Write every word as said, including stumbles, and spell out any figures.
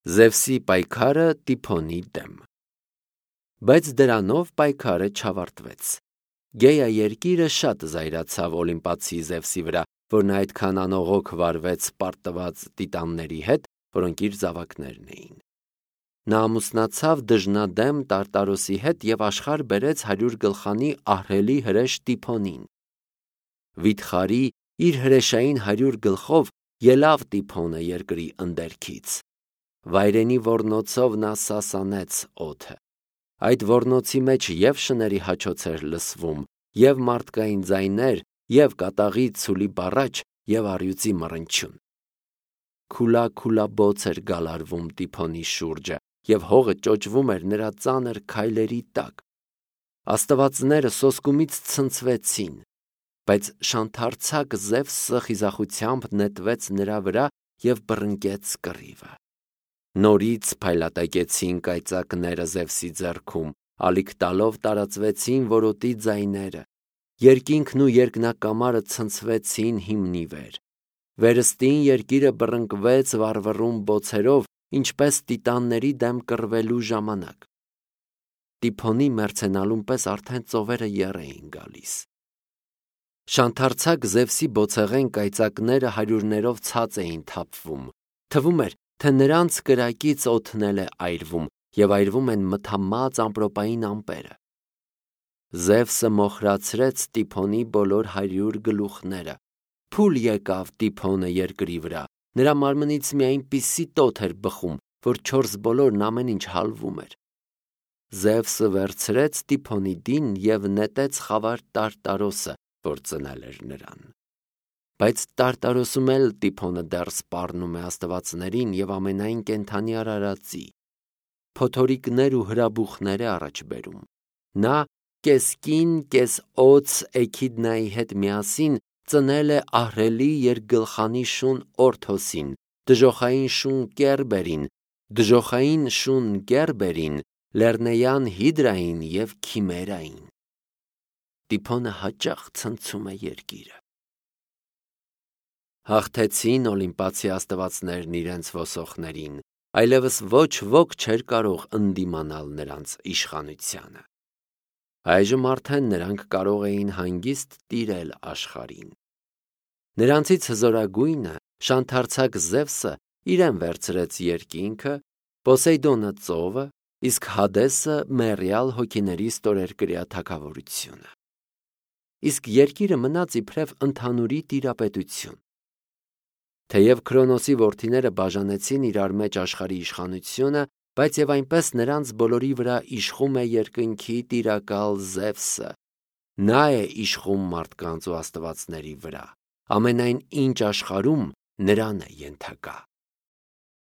Զևսի պայքարը Տիփոնի դեմ։ Բայց դրանով պայքարը չավարտվեց։ Գեա երկիրը շատ զայրացավ Օլիմպացի Զևսի վրա, որ նա այդքան անողոք վարվեց պարտված տիտանների հետ, որոնք իր զավակներն էին։ Նա ամուսնացավ դժնադեմ Տարտարոսի հետ և աշխարհ բերեց հարյուր գլխանի ահռելի հրեշ Տիփոնին։ Վիթխարի իր հրեշային հարյուր գլխով ելավ Տիփոնը երկրի ընդերքից։ Վայրենի ոռնոցով նա սասանեց օդը։ Այդ ոռնոցի մեջ և շների հաչոց էր լսվում, և մարդկային ձայներ, և կատաղի ցուլի բառաչ, և առյուծի մռնչյուն։ Քուլա-քուլաբոց էր գալարվում Տիփոնի շուրջը, և հողը ճոճվում էր նրա ծանր քայլերի տակ։ Աստվածները սոսկումից ցնցվեցին, բայց շանթարցակ Զևսը խիզախությամբ նետվեց նրա վրա և բռնկեց կռիվը։ Նորից փայլատակեցին կայծակները Զևսի ձեռքում, ալիք տալով տարածվեցին որոտի ձայները։ Երկինքն ու երկնակամարը ցնցվեցին հիմնի վեր։ Վերստին երկիրը բռնկվեց վառվռուն բոցերով, ինչպես տիտանների դեմ կռվելու ժամանակ։ Տիփոնի մեռցենալուն պես արդեն ծովերը եռ էին գալիս։ Շանթարցակ Զևսի բոցեղեն կայծակները հարյուրներով ցած էին թափվում։ Թվում էր, թե նրանց կրակից օդն էլ է այրվում, և այրվում են մթամած ամպրոպային ամպերը։ Զևսը մոխրացրեց Տիփոնի բոլոր հարյուր գլուխները։ Փուլ եկավ Տիփոնը երկրի վրա, նրա մարմնից մի այնպիսի տոթ էր բխում, որ չորս բոլորն ամեն ինչ հալվում էր։ Զևսը վերցրեց Տիփոնի դին և նետեց խավար Տարտարոսը, որ ծնել էր նրան։ Բայց Տարտարոսում էլ Տիփոնը դեռ սպառնում է աստվածներին և ամենայն կենդանի արարածի։ Փոթորիկներ ու հրաբուխներ է առաջ բերում։ Նա կես կին, կես օձ Էքիդնայի հետ միասին ծնել է ահռելի երկգլխանի շուն Օրթոսին, դժոխային շուն Կերբերին, դժոխային շուն Գերբերին, լեռնեյան Հիդրային և Քիմերային։ Տիփոնը հաճախ ցնցում է երկիրը։ Հաղթեցին Օլիմպացի աստվածներն իրենց ոսողներին, այլևս ոչ ոք չէր կարող ընդդիմանալ նրանց իշխանությանը։ Այժմ արդեն նրանք կարող էին հանգիստ տիրել աշխարհին։ Նրանցից հզորագույնը, շանթարցակ Զևսը, իրեն վերցրեց երկինքը, Պոսեյդոնը ծովը, իսկ Հադեսը մեռյալ հոգիների ստորերկրյա թագավորությունը։ Իսկ երկիրը մնաց իբրև ընդհանուրի տիրապետություն։ Թեև Քրոնոսի որդիները բաժանեցին իրար մեջ աշխարհի իշխանությունը, բայց և այնպես նրանց բոլորի վրա իշխում է երկնքի տիրակալ Զևսը։ Նա է իշխում մարդկանց ու աստվածների վրա։ Ամենայն ինչ աշխարհում նրան է ենթակա։